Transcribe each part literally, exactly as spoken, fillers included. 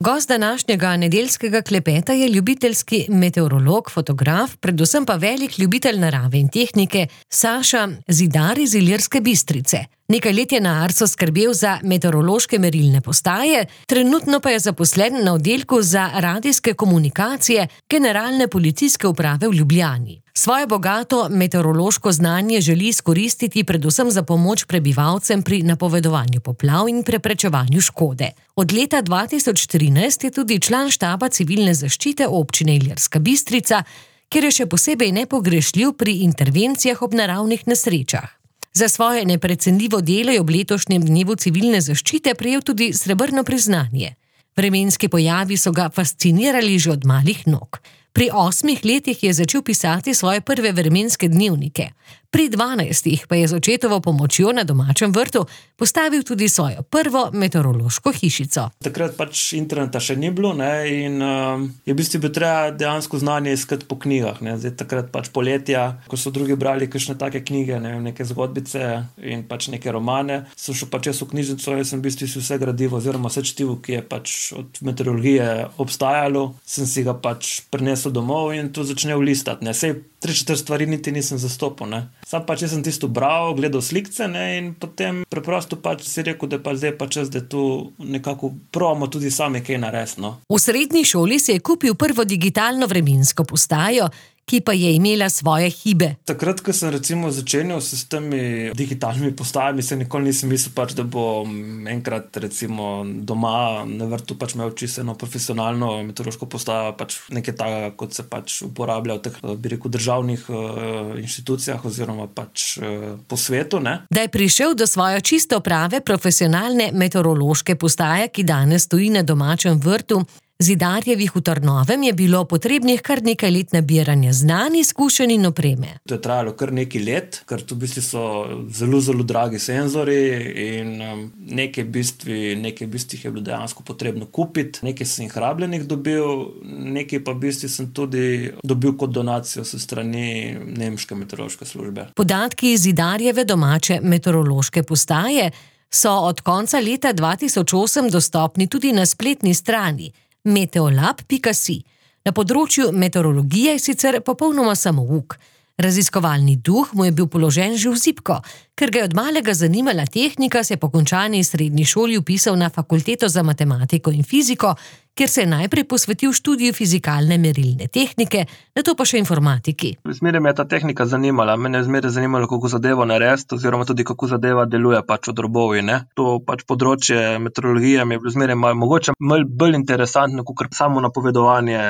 Gost današnjega nedeljskega klepeta je ljubiteljski meteorolog, fotograf, predvsem pa velik ljubitelj narave in tehnike Saša Zidar iz Ilirske Bistrice. Nekaj let je na Arsu skrbel za meteorološke merilne postaje, trenutno pa je zaposlen na oddelku za radijske komunikacije Generalne policijske uprave v Ljubljani. Svoje bogato meteorološko znanje želi izkoristiti predvsem za pomoč prebivalcem pri napovedovanju poplav in preprečevanju škode. Od leta dva tisoč trinajst je tudi član štaba civilne zaščite občine Ilirska Bistrica, kjer je še posebej nepogrešljiv pri intervencijah ob naravnih nesrečah. Za svoje neprecenljivo delo je ob letošnjem dnevu civilne zaščite prejel tudi srebrno priznanje. Vremenski pojavi so ga fascinirali že od malih nog. Pri osmih letih je začel pisati svoje prve vremenske dnevnike. Pri dvanajstih pa je z očetovo pomočjo na domačem vrtu postavil tudi svojo prvo meteorološko hišico. Takrat pač interneta še ni bilo, ne, in uh, je v bistvu bi treba dejansko znanje iskati po knjigah, ne. Zdaj takrat pač poletja, ko so drugi brali kakšne take knjige, ne, neke zgodbice in pač neke romane, sem šel pač jaz v knjižnico in sem v bistvu si vse gradivo oziroma vse čtivo, ki je pač od meteorologije obstajalo, sem si ga pač prinesel domov in to začel listati, ne. Sej tri četrt stvari niti nisem zastopil, ne. Sam pač jaz sem tisto bral, gledal slikce, ne, in potem preprosto pač si rekel, da pa zdaj pa čas, da tu nekako probamo tudi sami kaj narediti, no. V srednji šoli si je kupil prvo digitalno vremensko postajo, ki pa je imela svoje hibe. Takrat, ko sem recimo začenjal s temi digitalnimi postajami, se nikoli nisem mislil pač, da bo enkrat recimo doma na vrtu pač imel čisto eno profesionalno meteorološko postajo, pač nekaj takega, kot se pač uporablja v teh, bi rekel, državnih uh, inštitucijah oziroma pač uh, po svetu, ne. Da je prišel do svoje čisto prave profesionalne meteorološke postaje, ki danes stoji na domačem vrtu Zidarjevih v Trnovem, je bilo potrebnih kar nekaj let nabiranja znanj, izkušenj in opreme. To je trajalo kar nekaj let, ker tu v bistvu so zelo, zelo dragi senzori in um, nekaj bistvi, nekaj bistvi je bilo dejansko potrebno kupiti, nekaj sem jih rabljenih dobil, nekaj pa v bistvu sem tudi dobil kot donacijo s strani nemške meteorološke službe. Podatki Zidarjeve domače meteorološke postaje so od konca leta dva tisoč osem dostopni tudi na spletni strani meteolab pika si. Na področju meteorologije je sicer popolnoma samouk. Raziskovalni duh mu je bil položen že v zibko. Ker ga je od malega zanimala tehnika, se je po končani srednji šoli vpisal na fakulteto za matematiko in fiziko, kjer se je najprej posvetil študiju fizikalne merilne tehnike, nato pa še informatiki. Zmeraj me je ta tehnika zanimala, mene je zmeraj zanimalo, kako zadevo narediti, oziroma tudi kako zadeva deluje pač v drobovi, ne. To pač področje meteorologije mi je bilo zmeraj malo, mogoče malo bolj interesantno, kot samo napovedovanje,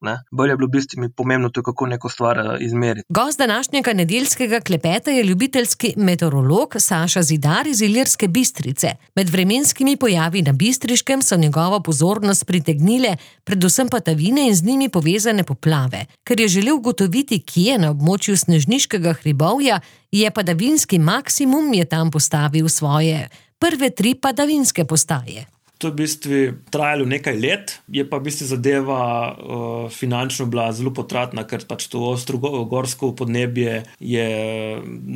ne. Bolj je bilo v bistvu mi pomembno to, kako neko stvar izmeriti. Gost današnjega nedeljskega klepeta je ljubiteljski meteorolog Saša Zidar iz Ilirske Bistrice. Med vremenskimi pojavi na Bistriškem so njegovo pozornost pritegnile predvsem padavine in z njimi povezane poplave. Ker je želel ugotoviti, kje na območju Snežniškega hribovja je padavinski maksimum, je tam postavil svoje prve tri padavinske postaje. To je v bistvu trajalo nekaj let, je pa v bistvu zadeva uh, finančno bila zelo potratna, ker pač to ostro gorsko podnebje je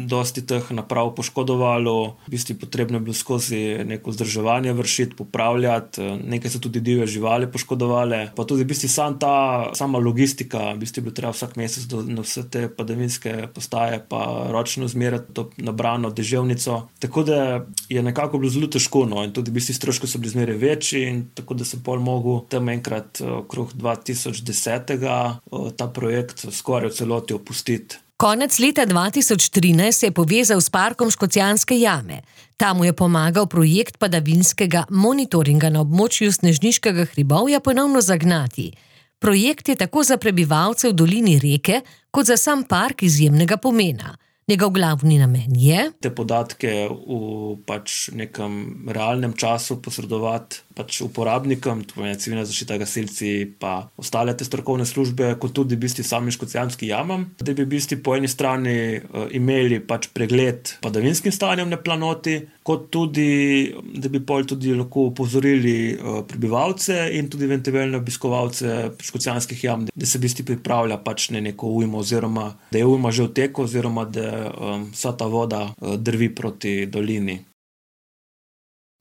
dosti teh naprav poškodovalo, v bistvu potrebno je bilo skozi neko vzdrževanje vršiti, popravljati, nekaj so tudi divje živali poškodovale, pa tudi v bistvu sam ta, sama logistika, v bistvu je bilo treba vsak mesec do, na vse te padavinske postaje pa ročno zmerati to nabrano deževnico, tako da je nekako bilo zelo težko, no, in tudi v bistvu stroški so bili zmeraj večji in tako da sem pol mogel tam enkrat okrog dva tisoč desetega ta projekt skoraj v celoti opustiti. Konec leta dva tisoč trinajst se je povezal s parkom Škocjanske jame. Tam mu je pomagal projekt padavinskega monitoringa na območju Snežniškega hribovja ponovno zagnati. Projekt je tako za prebivalce v dolini reke, kot za sam park izjemnega pomena. Njegov glavni namen je te podatke v pač nekem realnem času posredovati pač uporabnikom, to je civilna zaščita, gasilci pa ostale te strokovne službe, kot tudi v bistvu samim Škocjanskim jamam, da bi v bistvu po eni strani uh, imeli pač pregled padavinskim stanjem na planoti, kot tudi, da bi pol tudi lahko upozorili uh, prebivalce in tudi eventualne obiskovalce Škocjanskih jam, da se v bistvu pripravlja pač ne neko ujmo oziroma da je ujma že v teku oziroma da um, vsa ta voda uh, drvi proti dolini.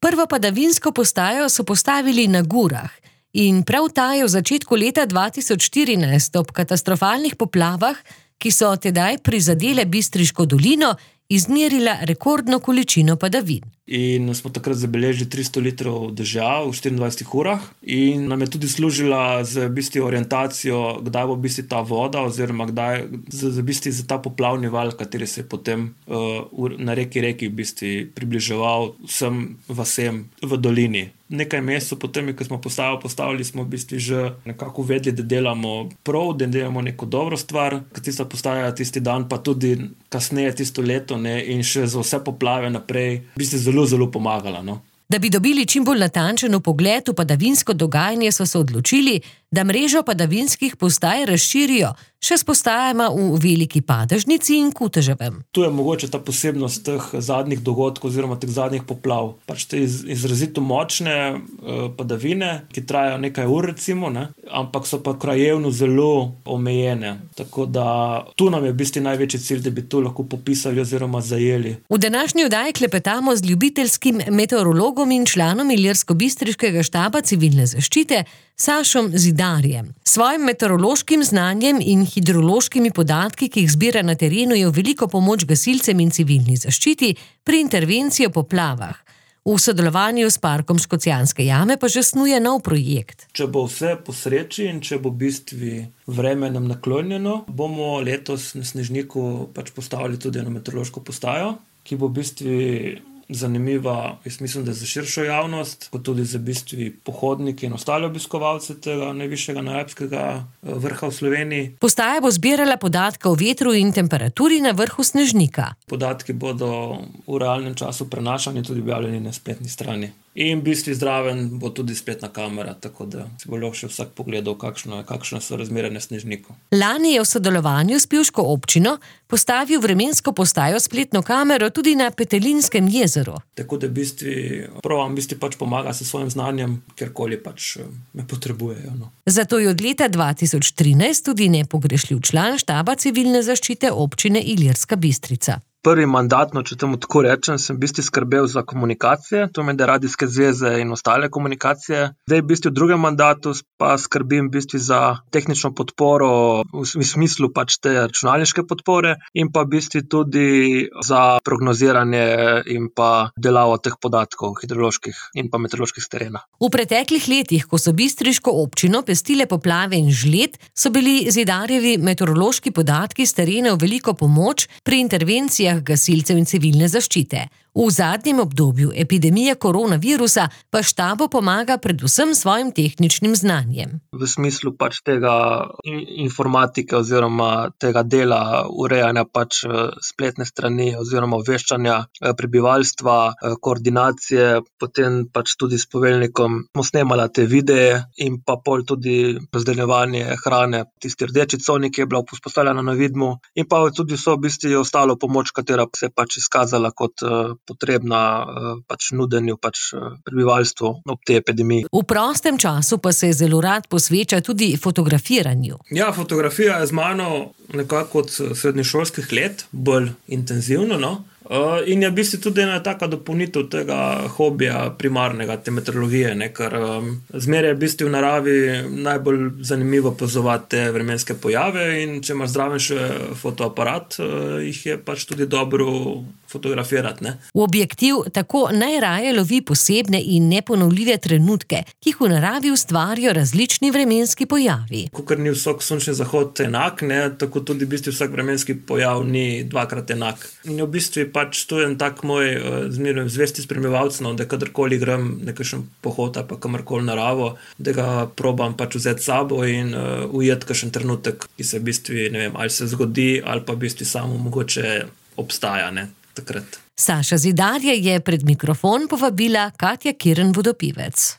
Prvo padavinsko postajo so postavili na Gurah. In prav ta je v začetku leta dva tisoč štirinajst ob katastrofalnih poplavah, ki so tedaj prizadele Bistriško dolino, izmerila rekordno količino padavin. In smo takrat zabeležili tristo litrov dežja v štiriindvajsetih urah in nam je tudi služila z v bistvu orientacijo, kdaj bo v bistvu ta voda oziroma kdaj z, z v bistvu za ta poplavni val, kateri se je potem uh, na reki reki v bistvu približeval vsem vasem v dolini. Nekaj mesecev potem, ko smo postajo postavili, smo v bistvu že nekako vedeli, da delamo prav, da delamo neko dobro stvar, ker tista postaja tisti dan, pa tudi kasneje tisto leto, ne, in še za vse poplave naprej, v bistvu zelo, zelo pomagala, no. Da bi dobili čim bolj natančen vpogled v padavinsko dogajanje, so se odločili, da mrežo padavinskih postaj razširijo še s postajama v Veliki Padežnici in Kuteževem. Tu je mogoče ta posebnost teh zadnjih dogodkov oziroma teh zadnjih poplav. Pač te iz, izrazito močne uh, padavine, ki trajajo nekaj ur recimo, ne? Ampak so pa krajevno zelo omejene. Tako da tu nam je v bistvu največji cilj, da bi to lahko popisali oziroma zajeli. V današnji oddaji klepetamo z ljubiteljskim meteorologom in članom Ilirsko-Bistriškega štaba civilne zaščite Sašom Zidarjem. Svojim meteorološkim znanjem in hidrološkimi podatki, ki jih zbira na terenu, je v veliko pomoč gasilcem in civilni zaščiti pri intervenciji v poplavah. V sodelovanju s Parkom Škocjanske jame pa že snuje nov projekt. Če bo vse po sreči in če bo v bistvu vreme nam naklonjeno, bomo letos na Snežniku pač postavili tudi eno meteorološko postajo, ki bo v bistvu zanimiva, jaz mislim, da za širšo javnost, kot tudi za bistvu pohodniki in ostale obiskovalce tega najvišjega najalpskega vrha v Sloveniji. Postaja bo zbirala podatke o vetru in temperaturi na vrhu Snežnika. Podatki bodo v realnem času prenašani, tudi objavljeni na spletni strani. In v bistvu zdraven bo tudi spletna kamera, tako da si bo lahko še vsak pogledal, kakšno, kakšne so razmere na Snežniku. Lani je v sodelovanju s Pivško občino postavil vremensko postajo spletno kamero tudi na Petelinskem jezeru. Tako da v bistvu prav v bistvu pač pomaga s svojim znanjem, kjerkoli pač me potrebujejo. No. Zato je od leta dva tisoč trinajst tudi nepogrešljiv član štaba civilne zaščite občine Ilirska Bistrica. Prvi mandatno, če temu tako rečem, sem v bistvu skrbel za komunikacije, to med radijske zveze in ostale komunikacije. Zdaj v bistvu v drugem mandatu pa skrbim v bistvu za tehnično podporo v smislu pač te računalniške podpore in pa v bistvu tudi za prognoziranje in pa delavo teh podatkov hidroloških in pa meteoroloških s terena. V preteklih letih, ko so Bistriško občino pestile poplave in žled, so bili Zidarjevi meteorološki podatki s terena v veliko pomoč pri intervencijah gasilcev in civilne zaščite. V zadnjem obdobju epidemije koronavirusa pa štabu pomaga predvsem svojim tehničnim znanjem. V smislu pač tega informatike oziroma tega dela urejanja pač spletne strani oziroma obveščanja prebivalstva, koordinacije, potem pač tudi s poveljnikom smo snemala te videe in pa pol tudi razdeljevanje hrane, tisti rdeči coni, ki je bila vzpostavljena na vidmu in pa tudi so v bistvu ostalo pomoč, katera se je pač izkazala kot potrebna pač nudenju pač prebivalstvu ob tej epidemiji. V prostem času pa se zelo rad posveča tudi fotografiranju. Ja, fotografija je z mano nekako od srednješolskih let, bolj intenzivno, no. Uh, in je v bistvu tudi ena taka dopolnitev tega hobija primarnega, te meteorologije, ne, ker um, zmeraj je v bistvu v naravi najbolj zanimivo opazovati te vremenske pojave in če imaš zraven še fotoaparat, uh, jih je pač tudi dobro fotografirati, ne. V objektiv tako najraje lovi posebne in neponovljive trenutke, ki jih v naravi ustvarijo različni vremenski pojavi. Kakor ni vsak sončni zahod enak, ne, tako tudi v bistvu vsak vremenski pojav ni dvakrat enak. In v bistvu pač to je en tak moj uh, zmerno zvesti spremljevalec, no, da kadarkoli grem nekakšen pohod ali pa kamorkoli naravo, da ga probam pač vzeti s sabo in uh, ujeti kakšen trenutek, ki se v bistvu, ne vem, ali se zgodi ali pa v bistvu samo mogoče obstaja, ne, takrat. Saša Zidarje je pred mikrofon povabila Katja Kirn Vodopivec.